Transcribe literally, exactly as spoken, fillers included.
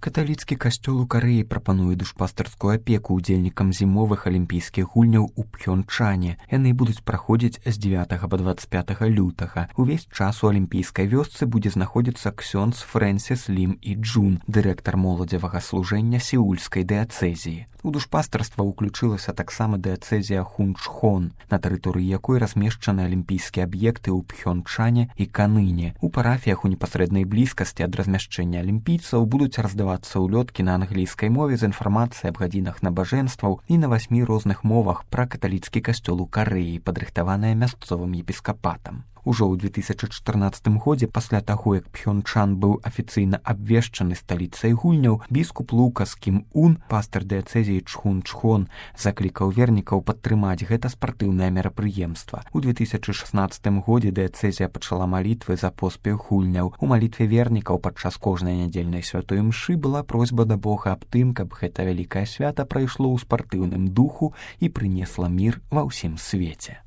Каталіцкі касцёл у Карэі прапануе душпастарскую апеку ўдзельнікам зімовых алімпійскіх гульняў у Пхёнчане. Яны будуць праходзіць з дзевятага па дваццаць пятага лютага. Увесь час у алімпійскай вёсцы будзе знаходзіцца ксёндз Фрэнсіс Лім і Джун, дырэктар моладзевага служэння сеульскай дыяцэзіі. У душпастарства ўключылася таксама дыяцэзія Хунчхон, на тэрыторыі якой размешчаны алімпійскія аб'екты ў Пхёнчане і Каныне. У парафіях у непасрэднай блізкасці ад размяшчэння алімпійцаў будуць раздавацца ўлёткі на англійскай мове з інфармацыяй аб гадзінах набажэнстваў і на васьмі розных мовах пра каталіцкі касцёл у Карэі, падрыхтаваная мясцовым епіскапатам. Ужо ў две тысячы чатырнаццатым годзе, пасля таго, як Пхёнчан быў афіцыйна абвешчаны сталіцай гульняў, біскуп Лукас Кім Ун, пастар дыяцэзіі Чхунчхон, заклікаў вернікаў падтрымаць гэта спартыўнае мерапрыемства. У две тысячы шаснаццатым годзе дыяцэзія пачала малітвы за поспех гульняў. У малітве вернікаў падчас кожнай нядзельнай святой мшы была просьба да Бога аб тым, каб гэта вялікае свята прайшло ў спартыўным духу і прынесла мір ва ўсім свеце.